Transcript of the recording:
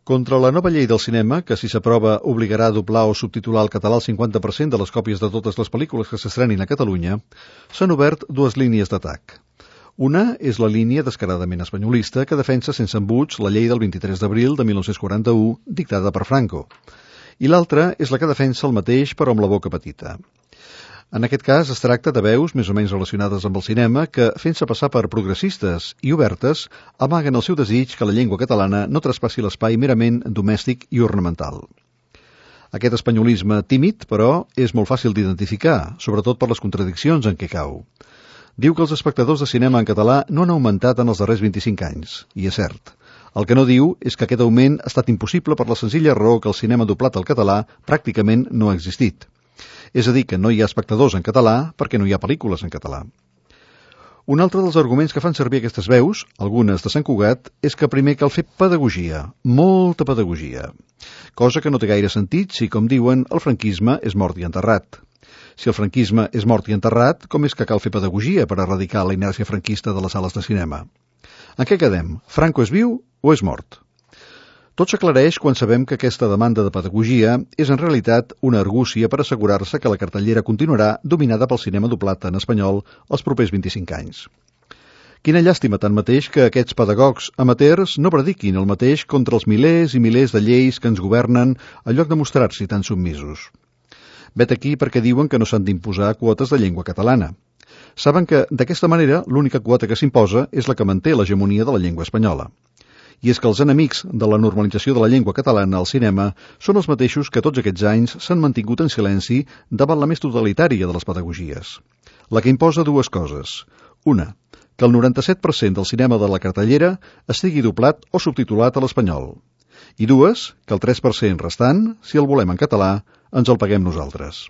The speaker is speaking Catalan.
Contra la nova llei del cinema, que si s'aprova obligarà a doblar o subtitular al català el 50% de les còpies de totes les pel·lícules que s'estrenin a Catalunya, s'han obert dues línies d'atac. Una és la línia descaradament espanyolista que defensa sense embuts la llei del 23 d'abril de 1941 dictada per Franco, i l'altra és la que defensa el mateix però amb la boca petita. En aquest cas es tracta de veus més o menys relacionades amb el cinema que, fent-se passar per progressistes i obertes, amaguen el seu desig que la llengua catalana no traspassi l'espai merament domèstic i ornamental. Aquest espanyolisme tímid, però, és molt fàcil d'identificar, sobretot per les contradiccions en què cau. Diu que els espectadors de cinema en català no han augmentat en els darrers 25 anys, i és cert. El que no diu és que aquest augment ha estat impossible per la senzilla raó que el cinema doblat al català pràcticament no ha existit. És a dir, que no hi ha espectadors en català perquè no hi ha pel·lícules en català. Un altre dels arguments que fan servir aquestes veus, algunes de Sant Cugat, és que primer cal fer pedagogia, molta pedagogia, cosa que no té gaire sentit si, com diuen, el franquisme és mort i enterrat. Si el franquisme és mort i enterrat, com és que cal fer pedagogia per erradicar la inèrcia franquista de les sales de cinema? En què quedem? Franco és viu o és mort? Tot s'aclareix quan sabem que aquesta demanda de pedagogia és en realitat una argúcia per assegurar-se que la cartellera continuarà dominada pel cinema doblat en espanyol els propers 25 anys. Quina llàstima tanmateix que aquests pedagogs amateurs no prediquin el mateix contra els milers i milers de lleis que ens governen en lloc de mostrar-s'hi tan submisos. Vet aquí perquè diuen que no s'han d'imposar quotes de llengua catalana. Saben que, d'aquesta manera, l'única quota que s'imposa és la que manté l'hegemonia de la llengua espanyola. I és que els enemics de la normalització de la llengua catalana al cinema són els mateixos que tots aquests anys s'han mantingut en silenci davant la més totalitària de les pedagogies. La que imposa dues coses. Una, que el 97% del cinema de la cartellera estigui doblat o subtitulat a l'espanyol. I dues, que el 3% restant, si el volem en català, ens el paguem nosaltres.